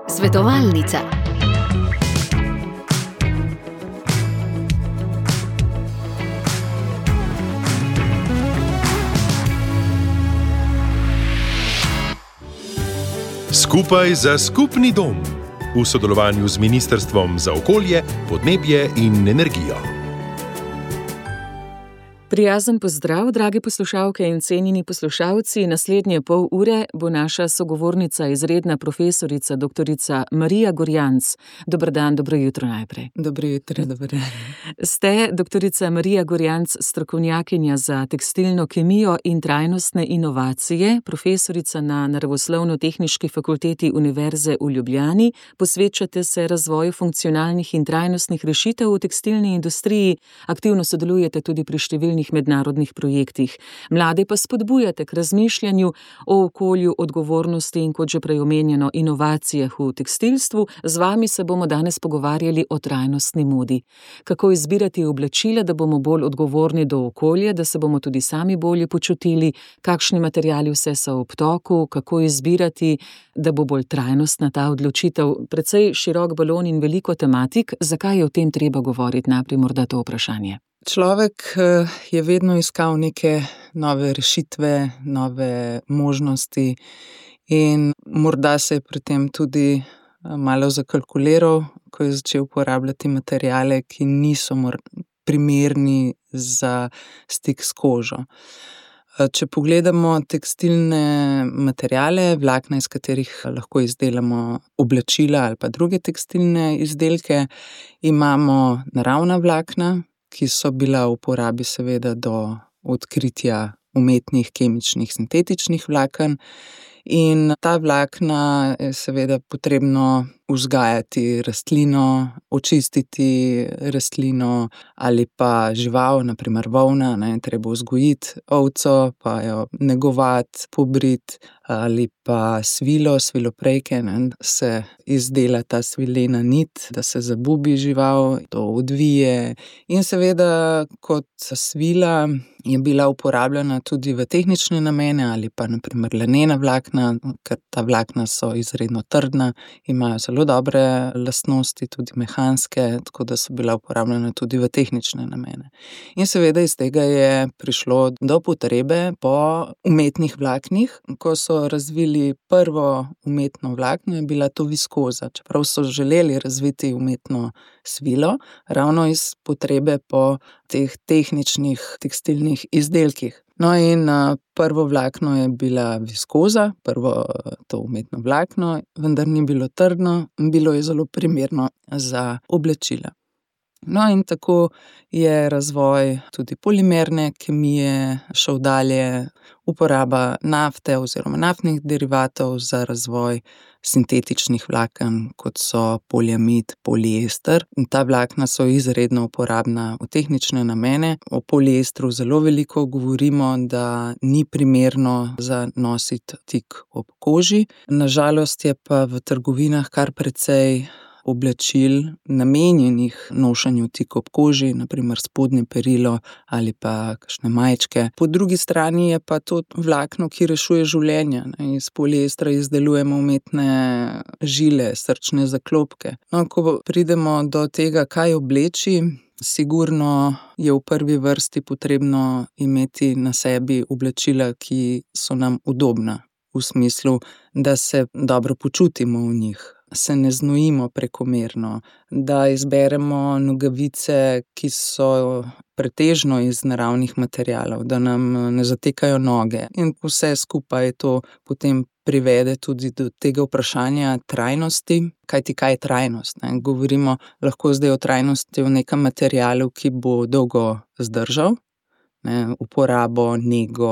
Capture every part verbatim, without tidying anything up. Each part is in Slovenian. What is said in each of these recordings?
Svetovalnica. Skupaj za skupni dom v sodelovanju z Ministrstvom za okolje, podnebje in energijo. Prijazen pozdrav, drage poslušalke in cenjeni poslušalci. Naslednje pol ure bo naša sogovornica, izredna profesorica, doktorica Marija Gorjanc. Dober dan, dobro jutro najprej. Dobro jutro, dober dan. Ste doktorica Marija Gorjanc, strokovnjakinja za tekstilno kemijo in trajnostne inovacije, profesorica na Naravoslovno-tehniški fakulteti Univerze v Ljubljani. Posvečate se razvoju funkcionalnih in trajnostnih rešitev v tekstilni industriji, aktivno sodelujete tudi pri številnih mednarodnih projektih. Mlade pa spodbujate k razmišljanju o okolju, odgovornosti in, kot že prej omenjeno, inovacijah v tekstilstvu. Z vami se bomo danes pogovarjali o trajnostni modi. Kako izbirati oblačila, da bomo bolj odgovorni do okolja, da se bomo tudi sami bolje počutili, kakšni materiali vse so v obtoku, kako izbirati, da bo bolj trajnostna ta odločitev. Precej širok balon in veliko tematik. Zakaj je o tem treba govoriti? Najprej morda to vprašanje. Človek je vedno iskal neke nove rešitve, nove možnosti in morda se je pri tem tudi malo zakalkuliral, ko je začel uporabljati materiale, ki niso primerni za stik s kožo. Če pogledamo tekstilne materiale, vlakna, iz katerih lahko izdelamo oblačila ali pa druge tekstilne izdelke, imamo naravna vlakna, ki so bila v uporabi seveda do odkritja umetnih, kemičnih, sintetičnih vlaken. In ta vlakna je seveda potrebno vzgajati rastlino, očistiti rastlino ali pa žival, na primer volna, ne, treba vzgojiti ovco, pa jo negovati, pobriti, ali pa svilo, sviloprejke, ne, se izdela ta svilena nit, da se zabubi žival, to odvije. In seveda kot svila je bila uporabljena tudi v tehnične namene ali pa na primer lanena vlakna, ker ta vlakna so izredno trdna, imajo zelo dobre lastnosti, tudi mehanske, tako da so bila uporabljena tudi v tehnične namene. In seveda iz tega je prišlo do potrebe po umetnih vlaknih. Ko so razvili prvo umetno vlakno, je bila to viskoza, čeprav so želeli razviti umetno svilo, ravno iz potrebe po teh tehničnih tekstilnih izdelkih. No in prvo vlakno je bila viskoza, prvo to umetno vlakno, vendar ni bilo trdno, bilo je zelo primerno za oblačila. No in tako je razvoj tudi polimerne kemije šel dalje, uporaba nafte oziroma naftnih derivatov za razvoj sintetičnih vlaken, kot so poliamid, poliester. In ta vlakna so izredno uporabna v tehnične namene. O poliestru zelo veliko govorimo, da ni primerno za nositi tik ob koži. Na žalost je pa v trgovinah kar precej oblačil namenjenih nošenju tik ob koži, na primer spodnje perilo ali pa kakšne majčke. Po drugi strani je pa to vlakno, ki rešuje življenja. Iz poliestra izdelujemo umetne žile, srčne zaklopke. No, ko pridemo do tega, kaj obleči, sigurno je v prvi vrsti potrebno imeti na sebi oblačila, ki so nam udobna, v smislu, da se dobro počutimo v njih, se ne znojimo prekomerno, da izberemo nogavice, ki so pretežno iz naravnih materialov, da nam ne zatekajo noge. In vse skupaj to potem privede tudi do tega vprašanja trajnosti. Kajti kaj je trajnost? Ne? Govorimo lahko zdaj o trajnosti v nekem materialu, ki bo dolgo zdržal, ne, uporabo, nego,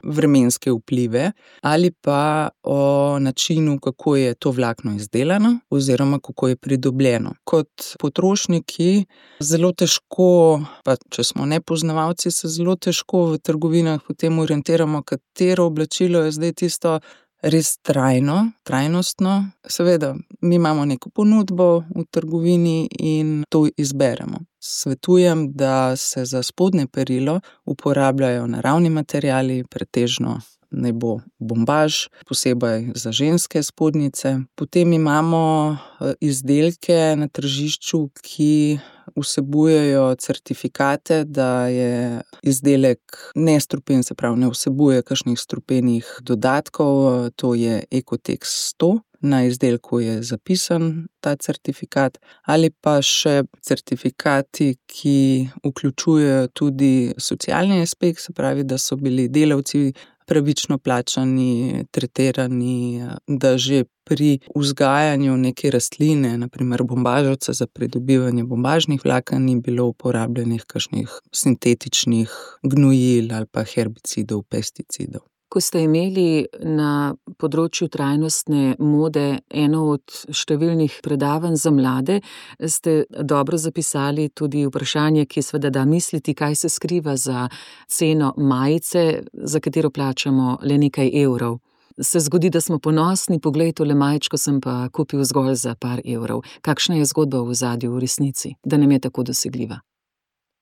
vremenske vplive, ali pa o načinu, kako je to vlakno izdelano oziroma kako je pridobljeno. Kot potrošniki zelo težko, pa če smo nepoznavalci, se zelo težko v trgovinah potem orientiramo, katero oblačilo je zdaj tisto res trajno, trajnostno. Seveda, mi imamo neko ponudbo v trgovini in to izberemo. Svetujem, da se za spodnje perilo uporabljajo naravni materiali, pretežno naj bo bombaž, posebej za ženske spodnjice. Potem imamo izdelke na tržišču, ki vsebujejo certifikate, da je izdelek nestrupen, se pravi, ne vsebuje kakšnih strupenih dodatkov, to je Ecotex sto. Na izdelku je zapisan ta certifikat, ali pa še certifikati, ki vključujejo tudi socialni aspekt, se pravi, da so bili delavci pravično plačani, tretirani, da že pri vzgajanju neke rastline, na primer bombaževca za pridobivanje bombažnih vlaken, ni bilo uporabljenih kakšnih sintetičnih gnojil ali pa herbicidov, pesticidov. Ko ste imeli na področju trajnostne mode eno od številnih predavanj za mlade, ste dobro zapisali tudi vprašanje, ki seveda da misliti, kaj se skriva za ceno majice, za katero plačamo le nekaj evrov. Se zgodi, da smo ponosni, poglej, tole majčko sem pa kupil zgolj za par evrov. Kakšna je zgodba v ozadju v resnici, da nam je tako dosegljiva?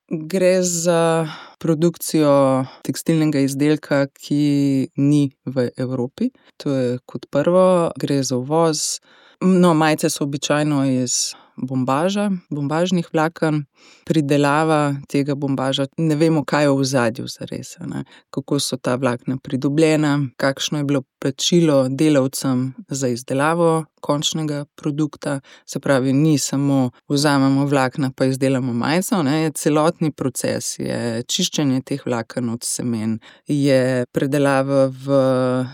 Gre za produkcijo tekstilnega izdelka, ki ni v Evropi. To je kot prvo, gre za uvoz. No, majice so običajno iz bombaža, bombažnih vlaken. Pridelava tega bombaža, ne vemo, kaj je v ozadju zares, ne? Kako so ta vlakna pridobljena, kakšno je bilo plačilo delavcem za izdelavo končnega produkta. Se pravi, ni samo vzamemo vlakna pa izdelamo majico, ne? Je celotni proces, je čiščenje teh vlaken od semen, je predelava v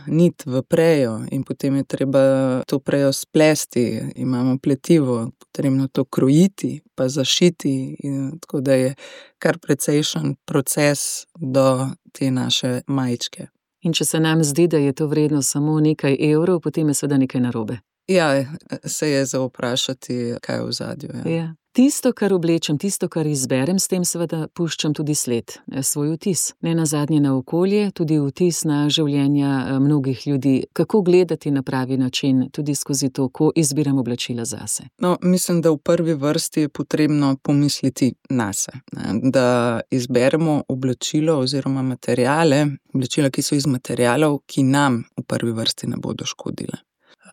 nit, v prejo in potem je treba to prejo splesti, imamo pletivo, potrebno to krojiti pa zašiti, in tako da je kar precejšen proces do te naše majičke. In če se nam zdi, da je to vredno samo nekaj evrov, potem je seveda nekaj narobe. Ja, se je za vprašati, kaj je v ozadju. Ja. Ja. Tisto, kar oblečem, tisto, kar izberem, s tem seveda puščam tudi sled, svoj vtis. Ne nazadnje na okolje, tudi vtis na življenja mnogih ljudi. Kako gledati na pravi način, tudi skozi to, ko izbiram oblačila zase? No, mislim, da v prvi vrsti je potrebno pomisliti nase, ne? Da izberemo oblačilo oziroma materiale, oblačila, ki so iz materialov, ki nam v prvi vrsti ne bodo škodile,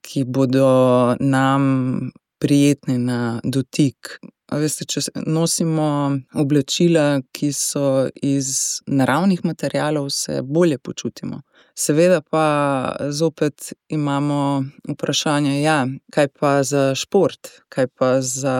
ki bodo nam prijetni na dotik. A veste, če nosimo oblačila, ki so iz naravnih materialov, se bolje počutimo. Seveda pa zopet imamo vprašanje, ja, kaj pa za šport, kaj pa za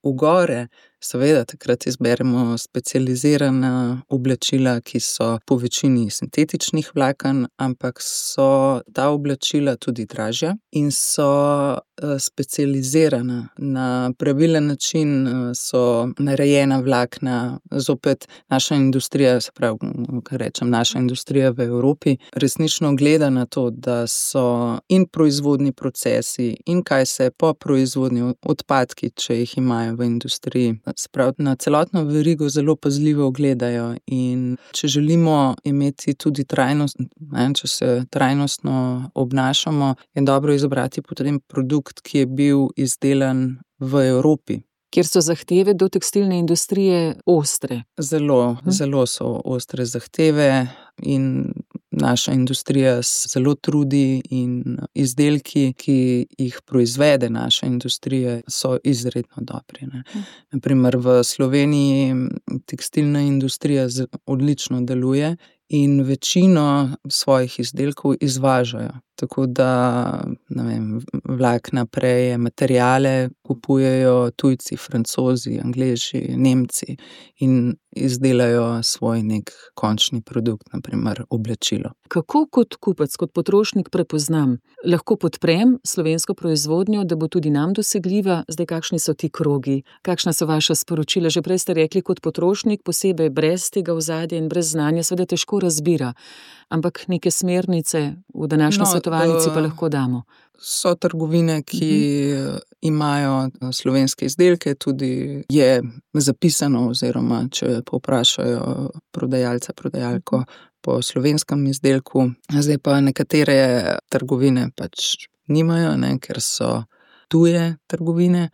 v gore. Seveda takrat izberemo specializirana oblačila, ki so po večini sintetičnih vlaken, ampak so ta oblačila tudi dražja in so specializirana. Na pravilen način so narejena vlakna. Zopet naša industrija, se pravi, kar rečem, naša industrija v Evropi, resnično gleda na to, da so in proizvodni procesi in kaj se po proizvodni odpadki, če jih imajo v industriji, se pravi, na celotno verigo zelo pazljivo gledajo, in če želimo imeti tudi trajnost, ne, če se trajnostno obnašamo, je dobro izbrati potem produkt, ki je bil izdelan v Evropi. Kjer so zahteve do tekstilne industrije ostre. Zelo, hm. zelo so ostre zahteve in naša industrija se zelo trudi in izdelki, ki jih proizvede naša industrija, so izredno dobri, ne. Na primer v Sloveniji tekstilna industrija odlično deluje in večino svojih izdelkov izvažajo. Tako da, ne vem, vlakna, preje, materiale kupujejo tujci, Francozi, Angleži, Nemci in izdelajo svoj nek končni produkt, na primer oblačilo. Kako kot kupec, kot potrošnik prepoznam? Lahko podprem slovensko proizvodnjo, da bo tudi nam dosegljiva? Zdaj, kakšni so ti krogi? Kakšna so vaša sporočila? Že prej ste rekli, kot potrošnik, posebej brez tega ozadja in brez znanja, seveda težko razbira. Ampak neke smernice v današnji no, svetovalnici pa lahko damo. So trgovine, ki uh-huh. imajo slovenske izdelke, tudi je zapisano, oziroma če povprašajo prodajalca, prodajalko po slovenskem izdelku. Zdaj pa nekatere trgovine pač nimajo, ne, ker so tuje trgovine.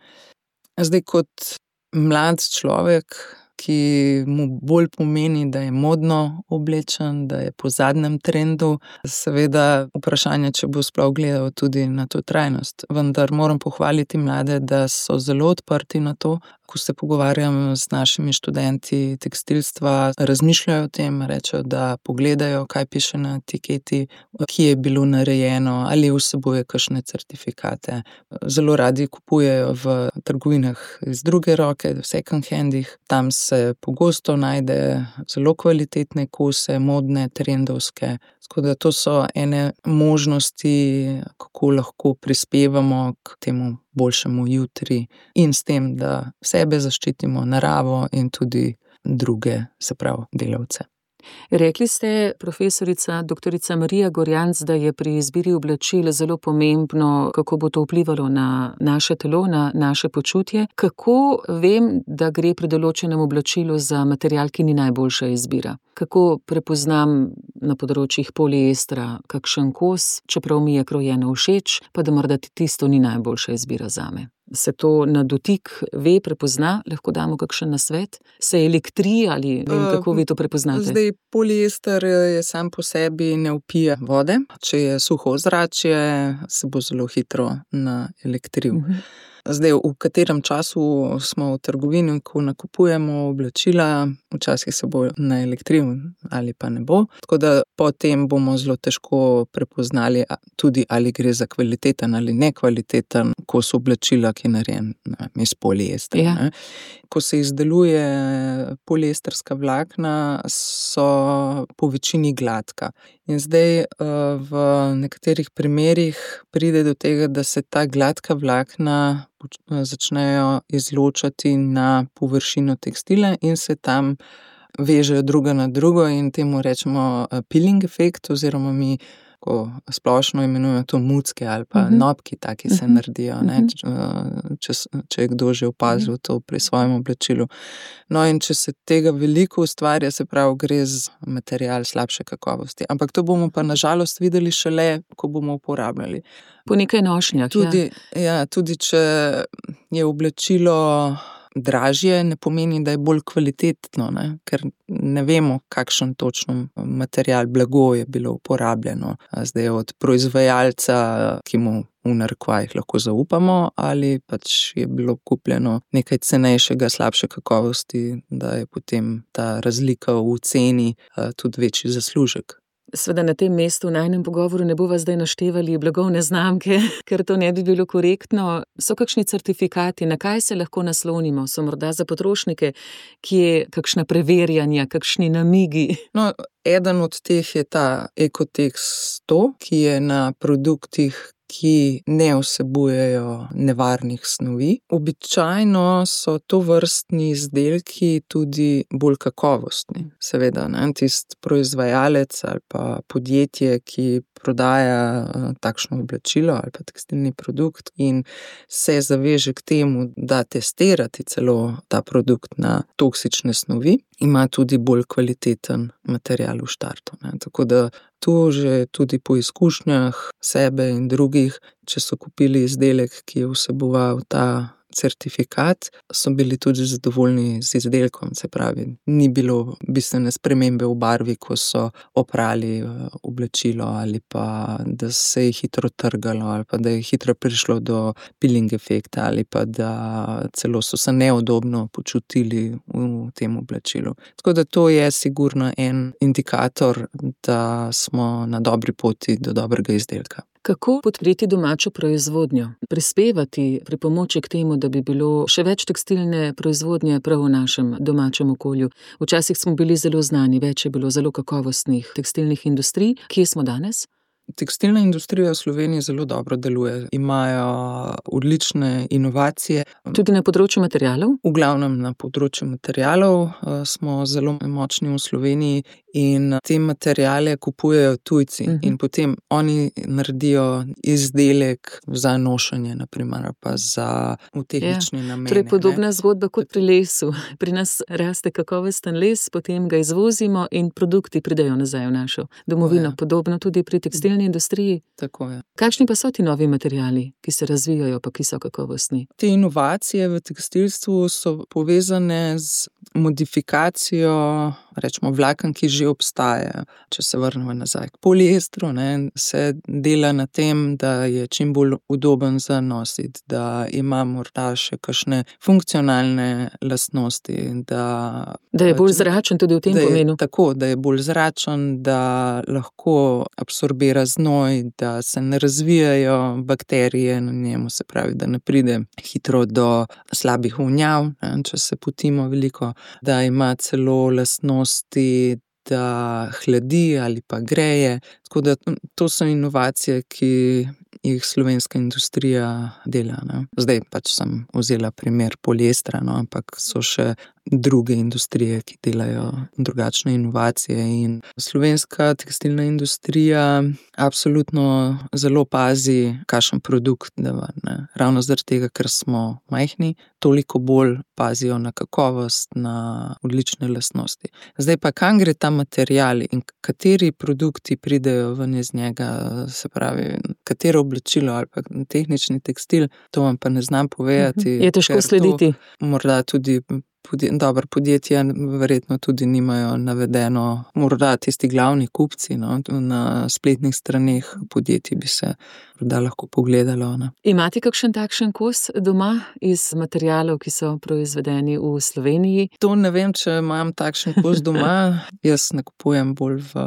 Zdaj kot mlad človek ki mu bolj pomeni, da je modno oblečen, da je po zadnjem trendu. Seveda vprašanje, če bo sploh gledal tudi na to trajnost. Vendar moram pohvaliti mlade, da so zelo odprti na to. Ko se pogovarjam z našimi študenti tekstilstva, razmišljajo o tem, rečejo, da pogledajo, kaj piše na etiketi, kje je bilo narejeno, ali vsebuje kakšne certifikate. Zelo radi kupujejo v trgovinah iz druge roke, v second handih. Tam se pogosto najde zelo kvalitetne kose, modne, trendovske. Tako da to so ene možnosti, kako lahko prispevamo k temu boljšemu jutri in s tem, da sebe zaščitimo, naravo in tudi druge, se pravi, delavce. Rekli ste, profesorica doktorica Marija Gorjanc, da je pri izbiri oblačil zelo pomembno, kako bo to vplivalo na naše telo, na naše počutje. Kako vem, da gre pri določenem oblačilu za material, ki ni najboljša izbira? Kako prepoznam na področjih poliestra kakšen kos, čeprav mi je krojeno všeč, pa da morda tisto ni najboljša izbira zame? Se to na dotik ve, prepozna? Lahko damo kakšen nasvet? Se elektri ali vem, kako vi to prepoznate? Zdaj, poliester je sam po sebi ne vpije vode. Če je suho ozračje, se bo zelo hitro naelektril. Uh-huh. Zdaj, v katerem času smo v trgovini, ko nakupujemo oblačila, včasih se bo naelektril ali pa ne bo. Tako da potem bomo zelo težko prepoznali tudi, ali gre za kvaliteten ali nekvaliteten kos oblačila, ki je narejen iz poliestra. Ja. Ko se izdeluje poliestrska vlakna, so po večini gladka. In zdaj v nekaterih primerih pride do tega, da se ta gladka vlakna začnejo izločati na površino tekstila in se tam vežejo druga na drugo in temu rečemo peeling efekt, oziroma mi ko splošno imenujemo to mucke ali pa uh-huh. nobki, taki se uh-huh. naredijo, ne? Uh-huh. Če, če je kdo že opazil to pri svojem oblačilu. No, in če se tega veliko ustvarja, se pravi, gre z material slabše kakovosti. Ampak to bomo pa nažalost videli šele, ko bomo uporabljali. Po nekaj nošnjah, tudi, ja. Ja, tudi če je oblačilo dražje, ne pomeni, da je bolj kvalitetno, ne? Ker ne vemo, kakšen točno material, blago je bilo uporabljeno. Zdaj od proizvajalca, ki mu v narekovajih lahko zaupamo, ali pač je bilo kupljeno nekaj cenejšega, slabše kakovosti, da je potem ta razlika v ceni tudi večji zaslužek. Sveda na tem mestu v najnem pogovoru ne bova zdaj naštevali blagovne znamke, ker to ne bi bilo korektno. So kakšni certifikati, na kaj se lahko naslonimo? So morda za potrošnike, ki je kakšna preverjanja, kakšni namigi? No, eden od teh je ta Ecotex sto, ki je na produktih, ki ne vsebujejo nevarnih snovi. Običajno so tovrstni izdelki tudi bolj kakovostni. Seveda, ne, tisti proizvajalec ali pa podjetje, ki prodaja takšno oblačilo ali pa tekstilni produkt in se zaveže k temu, da testirati celo ta produkt na toksične snovi, ima tudi bolj kvaliteten material v štartu. Ne. Tako da tu že tudi po izkušnjah sebe in drugih, če so kupili izdelek, ki je vseboval ta certifikat, so bili tudi zadovoljni z izdelkom, se pravi, ni bilo bistvene spremembe v barvi, ko so oprali oblačilo ali pa da se je hitro trgalo ali pa da je hitro prišlo do peeling efekta ali pa da celo so se neudobno počutili v tem oblačilu. Tako da to je sigurno en indikator, da smo na dobri poti do dobrega izdelka. Kako podpreti domačo proizvodnjo? Prispevati pri pomoči k temu, da bi bilo še več tekstilne proizvodnje prav v našem domačem okolju. Včasih smo bili zelo znani, več je bilo zelo kakovostnih tekstilnih industrij. Kje smo danes? Tekstilna industrija v Sloveniji zelo dobro deluje. Imajo odlične inovacije. Tudi na področju materialov? V glavnem na področju materialov smo zelo močni v Sloveniji in te materiale kupujejo tujci. Uh-huh. In potem oni naredijo izdelek za nošenje, naprimer, pa za v tehnične ja, namene. Torej podobna ne? Zgodba kot pri lesu. Pri nas raste kakovosten les, potem ga izvozimo in produkti pridejo nazaj v našo domovino. Ja. Podobno tudi pri tekstilni industriji. Tako je. Kakšni pa so ti novi materiali, ki se razvijajo, pa ki so kakovostni? Te inovacije v tekstilstvu so povezane z modifikacijo, rečemo, vlaken, ki že obstaja. Če se vrnemo nazaj k poliestru, ne, se dela na tem, da je čim bolj udoben za nositi, da ima morda še kakšne funkcionalne lastnosti, da, da je bolj zračen tudi v tem je, pomenu. Tako, da je bolj zračen, da lahko absorbira znoj, da se ne razvijajo bakterije na njemu, se pravi, da ne pride hitro do slabih vonjav, ne, če se potimo veliko, da ima celo lastnosti, da hladi ali pa greje. Tako da to so inovacije, ki jih slovenska industrija dela. Ne. Zdaj pač sem vzela primer poliestra, no, ampak so še druge industrije, ki delajo drugačne inovacije, in slovenska tekstilna industrija absolutno zelo pazi, kakšen produkt dava, ne. Ravno zaradi tega, ker smo majhni, toliko bolj pazijo na kakovost, na odlične lastnosti. Zdaj pa, kam gre ta material in kateri produkti pridejo ven iz njega, se pravi, katero oblačilo ali pa tehnični tekstil, to vam pa ne znam povedati. Je težko slediti. Morda tudi Podje, dobro, podjetja verjetno tudi nimajo navedeno, morda tisti glavni kupci, no, na spletnih straneh podjetij bi se morda lahko pogledalo. Ne. Imate kakšen takšen kos doma iz materialov, ki so proizvedeni v Sloveniji? To ne vem, če imam takšen kos doma. Jaz nakupujem bolj v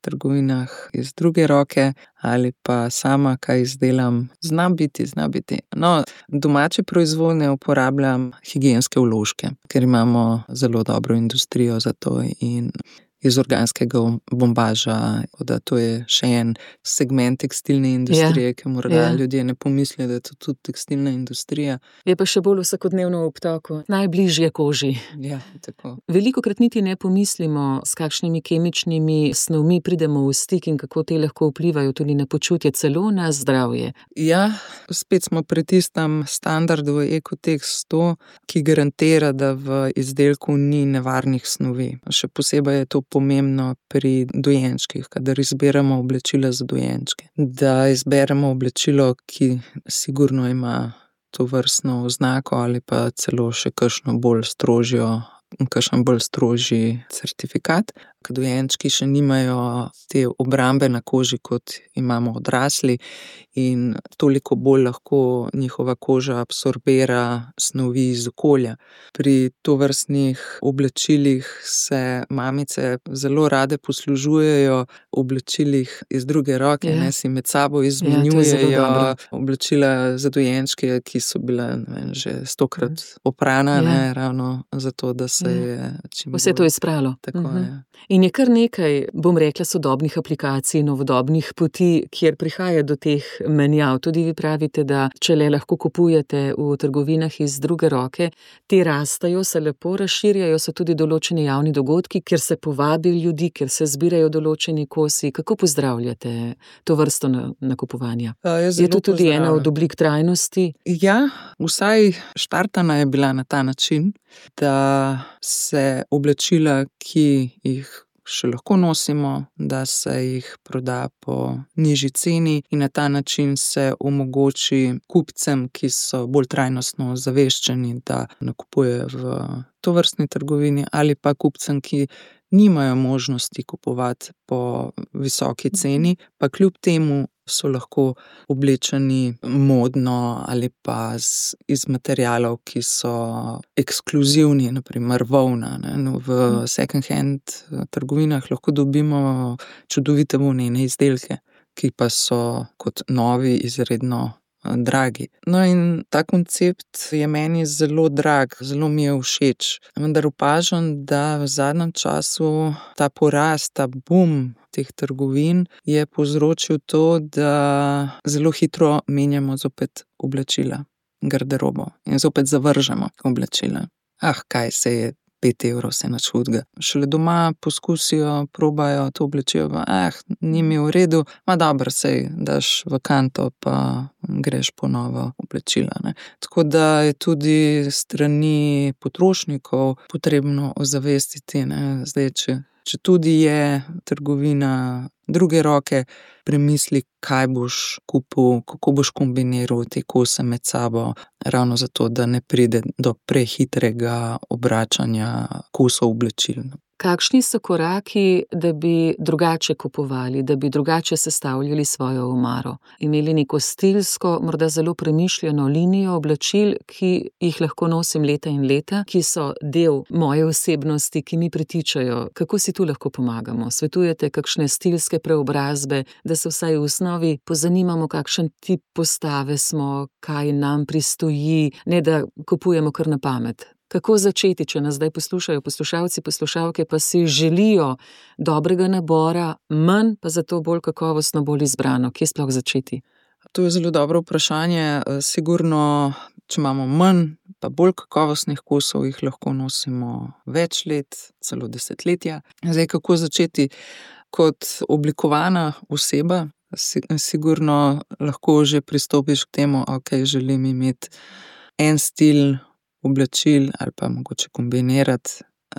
trgovinah iz druge roke ali pa sama kaj izdelam. Zna biti, zna biti. No, domače proizvodnje uporabljam higienske vložke, ker imamo zelo dobro industrijo za to in iz organskega bombaža, da to je še en segment tekstilne industrije, ja, ki morda ja. ljudje ne pomislijo, da je to tudi tekstilna industrija. Je pa še bolj vsakodnevno v obtoku, najbližje koži. Ja, tako. Velikokrat niti ne pomislimo, s kakšnimi kemičnimi snovmi pridemo v stik in kako te lahko vplivajo tudi na počutje, celo na zdravje. Ja, spet smo pri tistem standardu Ekotex sto, ki garantira, da v izdelku ni nevarnih snovi. Še posebej je to pomembno pri dojenčkih, kadar izberemo oblačila za dojenčke. Da izberemo oblačilo, ki sigurno ima to vrstno oznako ali pa celo še kakšno bolj strožjo, kakšen bolj strožji certifikat. Ker dojenčki še nimajo te obrambe na koži, kot imamo odrasli, in toliko bolj lahko njihova koža absorbira snovi iz okolja. Pri tovrstnih oblačilih se mamice zelo rade poslužujejo oblačilih iz druge roke, ja. ne, si med sabo izmenjujejo ja, oblačila za dojenčke, ki so bila ne vem, že stokrat oprana, ja. ne, ravno zato, da se ja. je čim bolj... Vse to je spralo. Tako uh-huh. je. In je kar nekaj, bom rekla, sodobnih aplikacij, novodobnih poti, kjer prihaja do teh menjav. Tudi vi pravite, da če le lahko kupujete v trgovinah iz druge roke, te rastajo, se lepo razširjajo, so tudi določeni javni dogodki, kjer se povabi ljudi, kjer se zbirajo določeni kosi. Kako pozdravljate to vrsto nakupovanja? Je to tudi ena od oblik trajnosti? Ja, vsaj štartana je bila na ta način, da se oblačila, ki jih še lahko nosimo, da se jih proda po nižji ceni in na ta način se omogoči kupcem, ki so bolj trajnostno zaveščeni, da nakupujejo v tovrstni trgovini, ali pa kupcem, ki nimajo možnosti kupovati po visoki ceni, pa kljub temu so lahko oblečeni modno ali pa z, iz materialov, ki so ekskluzivni, naprimer volna. Ne? No, v second hand trgovinah lahko dobimo čudovite volnene izdelke, ki pa so kot novi izredno dragi. No in ta koncept je meni zelo drag, zelo mi je všeč. Vendar opažam, da v zadnjem času ta porast, ta boom teh trgovin je povzročil to, da zelo hitro menjamo zopet oblačila, garderobo in zopet zavržemo oblačila. Ah, kaj se je pet evrov, se nič hudega. Šele doma poskusijo, probajo to oblačilo, ah, ni mi v redu, ma dobro, sej daš v kanto, pa greš po novo oblačila. Ne. Tako da je tudi strani potrošnikov potrebno ozavestiti, ne. Zdaj, če Če tudi je trgovina druge roke premisli, kaj boš kupil, kako boš kombiniral te kose med sabo, ravno zato, da ne pride do prehitrega obračanja kosov oblačil. Kakšni so koraki, da bi drugače kupovali, da bi drugače sestavljali svojo omaro? Imeli neko stilsko, morda zelo premišljeno linijo oblačil, ki jih lahko nosim leta in leta, ki so del moje osebnosti, ki mi pritičajo. Kako si tu lahko pomagamo? Svetujete kakšne stilske preobrazbe, da se vsaj v osnovi pozanimamo, kakšen tip postave smo, kaj nam pristoji, ne da kupujemo kar na pamet? Kako začeti, če nas zdaj poslušajo poslušalci, poslušalke, pa si želijo dobrega nabora, manj pa zato bolj kakovostno, bolj izbrano? Kje sploh začeti? To je zelo dobro vprašanje. Sigurno, če imamo manj pa bolj kakovostnih kosov, jih lahko nosimo več let, celo desetletja. Zdaj, kako začeti? Kot oblikovana oseba, sigurno lahko že pristopiš k temu, ok, želim imeti en stil oblačil ali pa mogoče kombinirati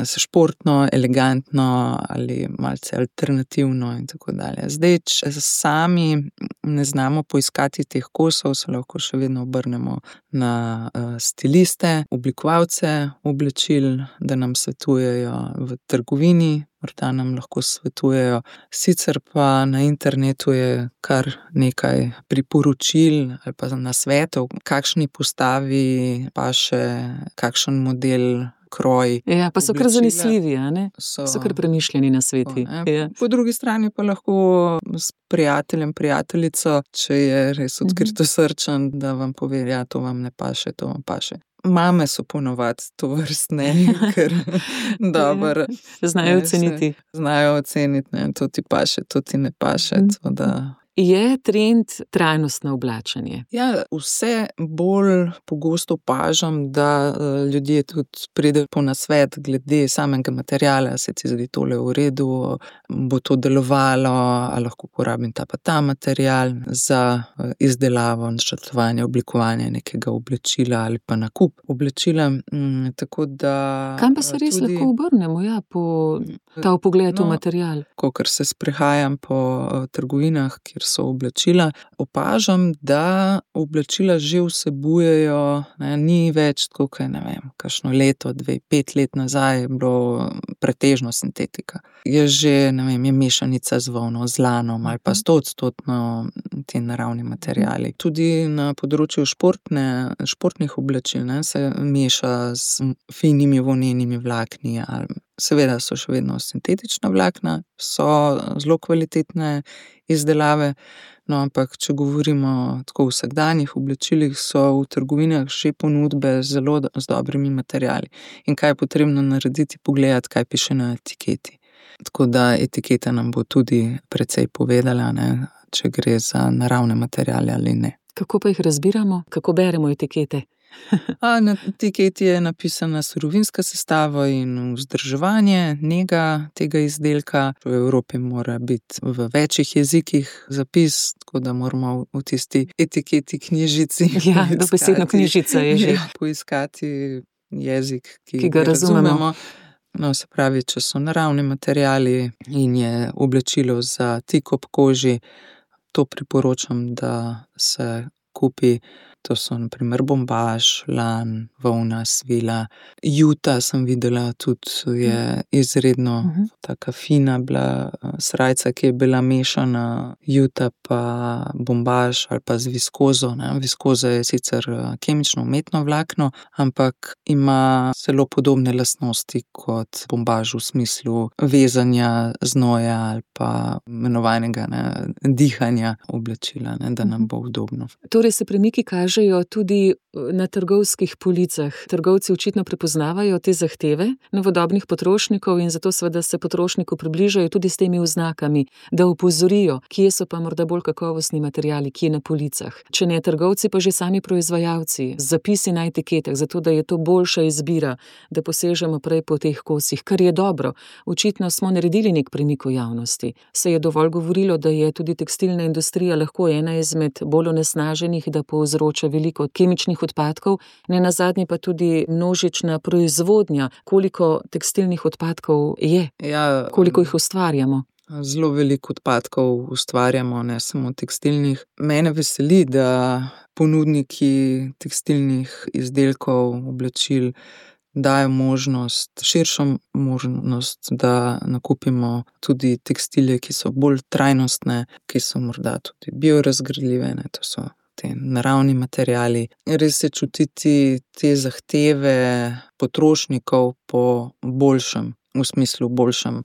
se športno, elegantno ali malce alternativno in tako dalje. Zdaj, če sami ne znamo poiskati teh kosov, se lahko še vedno obrnemo na stiliste, oblikovalce oblačil, da nam svetujejo v trgovini, morda nam lahko svetujejo. Sicer pa na internetu je kar nekaj priporočil ali pa nasvetov, kakšni postavi paše, kakšen model, kroj. Ja, pa so kar zanesljivi, a ne? So, so kar premišljeni nasveti. Ja. Po drugi strani pa lahko s prijateljem, prijateljico, če je res odkritosrčen, da vam pove, ja, to vam ne paše, to vam paše. Mame so ponovadi to vrstne, ker dobro. Znajo oceniti. Znajo oceniti, ne, to ti paše, to ti ne paše, to da... Je trend trajnostno oblačenje? Ja, vse bolj pogosto opažam, da ljudje tudi pridejo po nasvet glede samega materiala, se ti zdi tole v redu, bo to delovalo, ali lahko uporabim ta pa ta material za izdelavo, načrtovanje, oblikovanje nekega oblačila ali pa nakup oblačila. Tako da... Kam pa se res tudi lahko obrnemo, ja, po ta vpogled v no, material? Kakor se sprehajam po trgovinah, kjer so oblačila, opažam, da oblačila že vsebujejo, ne, ni več tako, kaj ne vem, kakšno leto, dve, pet let nazaj je bilo pretežno sintetika. Je že, ne vem, je mešanica z volno, z lanom ali pa stoodstotno ti naravni materiali. Tudi na področju športne, športnih oblačil, ne, se meša z finimi volnenimi vlakni ali seveda so še vedno sintetična vlakna, so zelo kvalitetne izdelave, no, ampak če govorimo tako o vsakdanjih oblačilih, so v trgovinah že ponudbe zelo z dobrimi materiali. In kaj je potrebno narediti, pogledati, kaj piše na etiketi. Tako da etiketa nam bo tudi precej povedala, ne, če gre za naravne materiale ali ne. Kako pa jih razbiramo? Kako beremo etikete? A, na etiketi je napisana surovinska sestava in vzdrževanje, nega tega izdelka. V Evropi mora biti v večjih jezikih zapis, tako da moramo v tisti etiketi knjižici ja, dobesedno knjižica je že. Poiskati jezik, ki, ki ga razumemo. razumemo. No, se pravi, če so naravni materiali in je oblačilo za tik ob koži, to priporočam, da se kupi. To so na primer bombaž, lan, volna, svila. Juta sem videla tudi je izredno uh-huh. taka fina bila srajca, ki je bila mešana juta pa bombaž ali pa z viskozo. Ne. Viskoza je sicer kemično umetno vlakno, ampak ima zelo podobne lastnosti kot bombaž v smislu vezanja znoja ali pa imenovanega ne, dihanja oblačila, ne, da nam bo udobno. Torej se premiki kažejo tudi na trgovskih policah. Trgovci očitno prepoznavajo te zahteve novodobnih potrošnikov in zato seveda se potrošniku približajo tudi s temi oznakami, da opozorijo, kje so pa morda bolj kakovostni materiali, kje na policah. Če ne trgovci, pa že sami proizvajalci, z zapisi na etiketah, zato da je to boljša izbira, da posežemo prej po teh kosih, kar je dobro. Očitno smo naredili nek premik v javnosti. Se je dovolj govorilo, da je tudi tekstilna industrija lahko ena izmed bolj onesnaženih, da povzroča veliko kemičnih odpadkov, ne nazadnje pa tudi množična proizvodnja, koliko tekstilnih odpadkov je, ja, koliko jih ustvarjamo. Zelo veliko odpadkov ustvarjamo, ne samo tekstilnih. Mene veseli, da ponudniki tekstilnih izdelkov, oblačil dajo možnost, širšo možnost, da nakupimo tudi tekstilje, ki so bolj trajnostne, ki so morda tudi biorazgradljive, ne, to so te naravni materiali. Res je čutiti te zahteve potrošnikov po boljšem, v smislu boljšem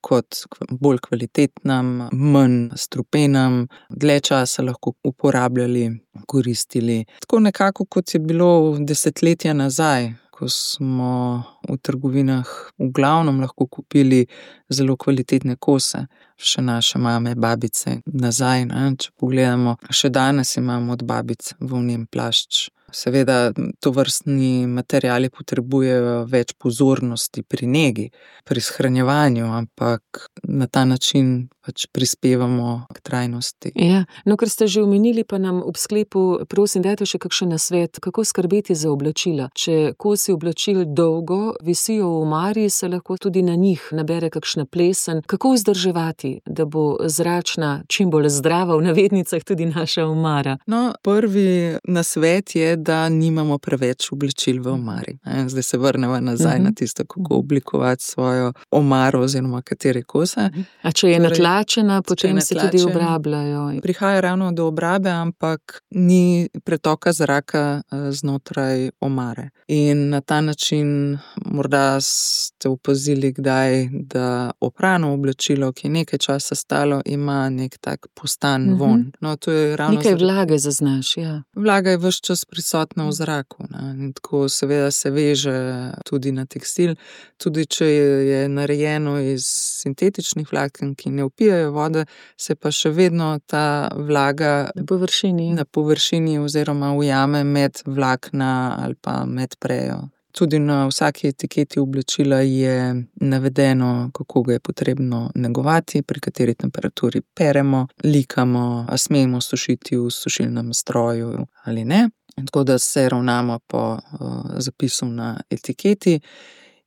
kot bolj kvalitetnem, manj strupenem, dlje časa lahko uporabljali, koristili. Tako nekako, kot je bilo desetletja nazaj, ko smo v trgovinah v glavnem lahko kupili zelo kvalitetne kose. Še naše mame, babice nazaj, ne, če pogledamo. Še danes imamo od babic volnen plašč. Seveda tovrstni materiali potrebujejo več pozornosti pri negi, pri shranjevanju, ampak na ta način pač prispevamo k trajnosti. Ja, no, ker ste že omenili, pa nam ob sklepu, prosim, dajte še kakšen nasvet, kako skrbeti za oblačila. Če kosi oblačil dolgo visijo v omari, se lahko tudi na njih nabere kakšna plesen. Kako vzdrževati, da bo zračna, čim bolj zdrava, v navednicah, tudi naša omara? No, prvi nasvet je, da nimamo preveč oblačil v omari. Zdaj se vrnemo nazaj uh-huh. na tisto, kako oblikovati svojo omaro oziroma katere kose. A če je torej, natlačena, potem se tudi obrabljajo. Prihaja ravno do obrabe, ampak ni pretoka zraka znotraj omare. In na ta način morda ste opazili kdaj, da oprano oblačilo, ki je nekaj časa stalo, ima nek tak postan uh-huh. von. No, to je ravno nekaj vlage zaznaš, ja. Vlaga je ves čas prisotna v zraku, ne. In tako seveda se veže tudi na tekstil, tudi če je narejeno iz sintetičnih vlaken, ki ne vpijajo vode, se pa še vedno ta vlaga na površini, na površini oziroma ujame med vlakna ali pa med prejo. Tudi na vsaki etiketi oblačila je navedeno, kako ga je potrebno negovati, pri kateri temperaturi peremo, likamo, a smemo sušiti v sušilnem stroju ali ne. Tako da se ravnamo po uh, zapisu na etiketi.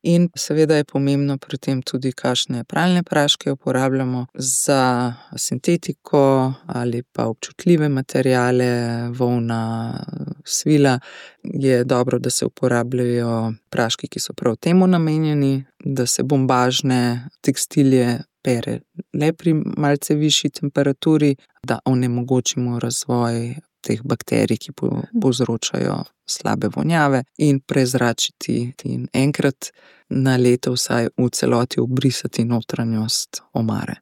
In seveda je pomembno pri tem tudi, kakšne pralne praške uporabljamo za sintetiko ali pa občutljive materiale, volna, svila. Je dobro, da se uporabljajo praški, ki so prav temu namenjeni, da se bombažne tekstilje pere le pri malce višji temperaturi, da onemogočimo razvoj teh bakterij, ki povzročajo slabe vonjave, in prezračiti in enkrat na leto vsaj v celoti obrisati notranjost omare.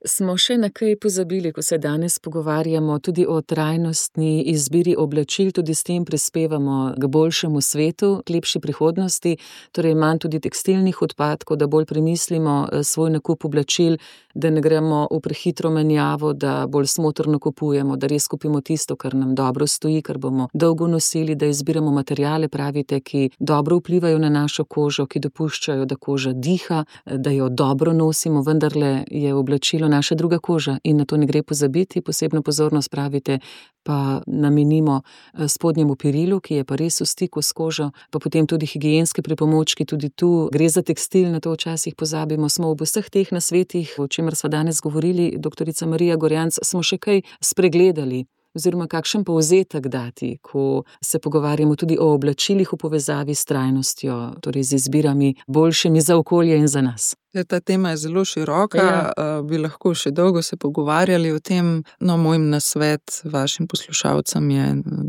Smo še na kaj pozabili, ko se danes pogovarjamo tudi o trajnostni izbiri oblačil, tudi s tem prispevamo k boljšemu svetu, k lepši prihodnosti, torej manj tudi tekstilnih odpadkov, da bolj premislimo svoj nakup oblačil, da ne gremo v prehitro menjavo, da bolj smotrno kupujemo, da res kupimo tisto, kar nam dobro stoji, kar bomo dolgo nosili, da izbiramo materiale, pravite, ki dobro vplivajo na našo kožo, ki dopuščajo, da koža diha, da jo dobro nosimo, vendarle je oblačilo naša druga koža in na to ne gre pozabiti. Posebno pozornost, pravite, pa namenimo spodnjemu perilu, ki je pa res v stiku s kožo, pa potem tudi higienske pripomočki, tudi tu gre za tekstil, na to včasih pozabimo. Smo ob vseh teh nasvetih, o čemer sva danes govorili, doktorica Marija Gorjanc, smo še kaj spregledali, oziroma kakšen povzetek dati, ko se pogovarjamo tudi o oblačilih v povezavi s trajnostjo, torej z izbirami boljšimi za okolje in za nas. Ta tema je zelo široka, ja. Bi lahko še dolgo se pogovarjali o tem. No, moj nasvet vašim poslušalcem je,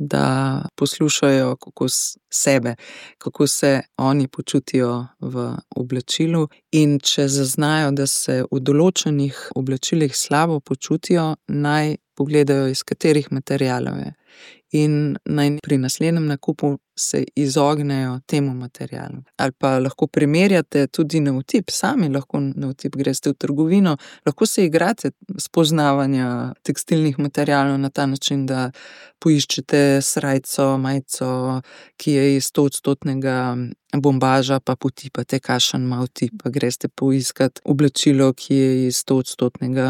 da poslušajo kako sebe, kako se oni počutijo v oblačilu, in če zaznajo, da se v določenih oblačilih slabo počutijo, naj pogledajo, iz katerih materialov je. In naj pri naslednjem nakupu se izognejo temu materialu. Ali pa lahko primerjate tudi na vtip, sami lahko na vtip greste v trgovino, lahko se igrate spoznavanja tekstilnih materialov na ta način, da poiščete srajco, majico, ki je iz stoodstotnega bombaža, pa potipate, kakšen ima vtip, pa greste poiskat oblačilo, ki je iz stoodstotnega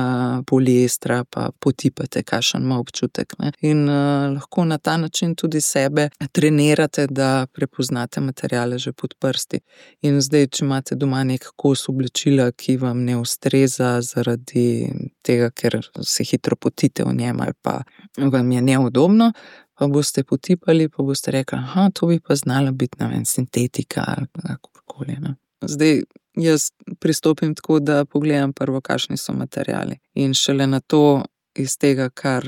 poliestra, pa potipate, kakšen ima občutek, ne. In uh, lahko na ta način tudi sebe trenirate znate, da prepoznate materiale že pod prsti. In zdaj, če imate doma nek kos oblečila, ki vam ne ustreza zaradi tega, ker se hitro potite v njem ali pa vam je neudobno, pa boste potipali, pa boste rekli, aha, to bi pa znala biti, ne vem, sintetika ali kakorkoli. Zdaj, jaz pristopim tako, da pogledam prvo, kakšni so materiali. In šele na to, iz tega, kar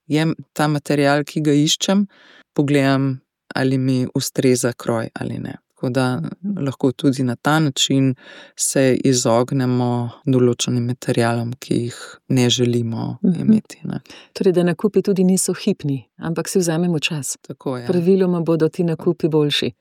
je ta material, ki ga iščem, pogledam, ali mi ustreza kroj ali ne. Tako da lahko tudi na ta način se izognemo določenim materialom, ki jih ne želimo imeti. Ne. Torej, da nakupi tudi niso hipni, ampak si vzamemo čas. Tako je. Praviloma bodo ti nakupi boljši.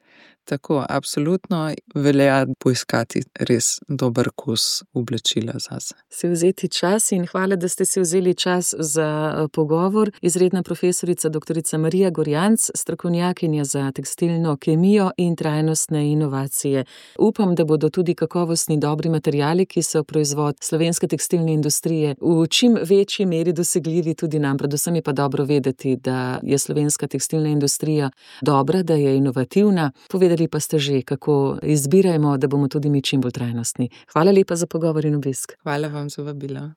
Tako, absolutno velja poiskati res dober kos oblečila zase. Si vzeti čas in hvala, da ste si vzeli čas za pogovor. Izredna profesorica doktorica Marija Gorjanc, strokovnjakinja za tekstilno kemijo in trajnostne inovacije. Upam, da bodo tudi kakovostni dobri materiali, ki so proizvod slovenske tekstilne industrije, v čim večji meri dosegljivi tudi nam. Predvsem je pa dobro vedeti, da je slovenska tekstilna industrija dobra, da je inovativna. Povedali pa ste že, kako izbirajmo, da bomo tudi mi čim bolj trajnostni. Hvala lepa za pogovor in obisk. Hvala vam za vabilo.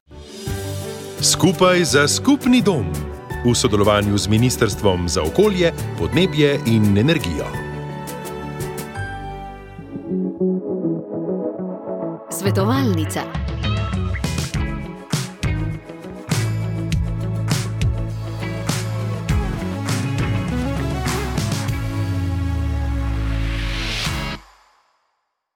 Skupaj za skupni dom. V sodelovanju z Ministrstvom za okolje, podnebje in energijo. Svetovalnica.